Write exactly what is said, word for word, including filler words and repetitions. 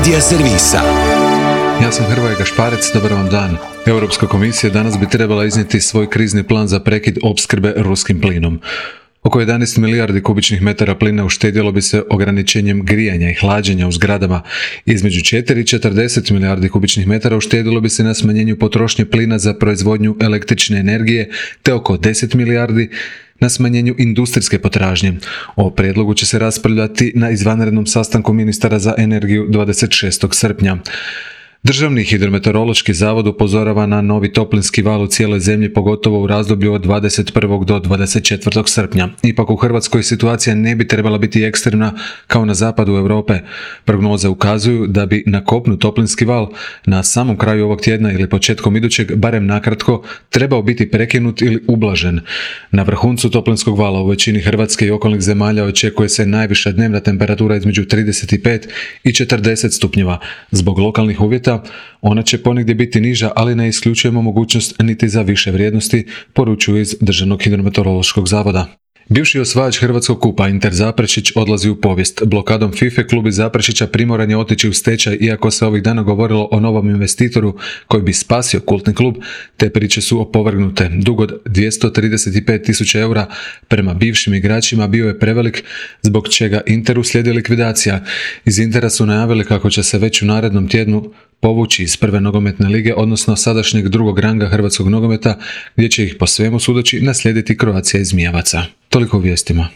Media servisa. Ja sam Hrvoje Gašparec, dobar vam dan. Europska komisija danas bi trebala iznijeti svoj krizni plan za prekid opskrbe ruskim plinom. Oko jedanaest milijardi kubičnih metara plina uštedjelo bi se ograničenjem grijanja i hlađenja u zgradama. Između četiri i četrdeset milijardi kubičnih metara uštedjelo bi se na smanjenju potrošnje plina za proizvodnju električne energije, te oko deset milijardi na smanjenju industrijske potražnje. O prijedlogu će se raspravljati na izvanrednom sastanku ministara za energiju dvadeset šestog srpnja. Državni hidrometeorološki zavod upozorava na novi toplinski val u cijeloj zemlji, pogotovo u razdoblju od dvadeset prvog do dvadeset četvrtog srpnja. Ipak u Hrvatskoj situacija ne bi trebala biti ekstremna kao na zapadu Europe. Prognoze ukazuju da bi na kopnu toplinski val na samom kraju ovog tjedna ili početkom idućeg, barem nakratko, trebao biti prekinut ili ublažen. Na vrhuncu toplinskog vala u većini Hrvatske i okolnih zemalja očekuje se najviša dnevna temperatura između trideset pet i četrdeset stupnjeva. Zbog lokalnih uvjeta ona će ponegdje biti niža, ali ne isključujemo mogućnost niti za više vrijednosti, poručuju iz Državnog hidrometeorološkog zavoda. Bivši osvajač Hrvatskog kupa Inter Zaprešić odlazi u povijest. Blokadom FIFA klub iz Zaprešića primoran je otići u stečaj, iako se ovih dana govorilo o novom investitoru koji bi spasio kultni klub. Te priče su opovrgnute. Dug od dvjesto trideset pet tisuća eura prema bivšim igračima bio je prevelik, zbog čega Interu slijedi likvidacija. Iz Intera su najavili kako će se već u narednom tjednu povući iz prve nogometne lige, odnosno sadašnjeg drugog ranga hrvatskog nogometa, gdje će ih po svemu sudeći naslijediti Croatia iz Mijevaca. Toliko u vijestima.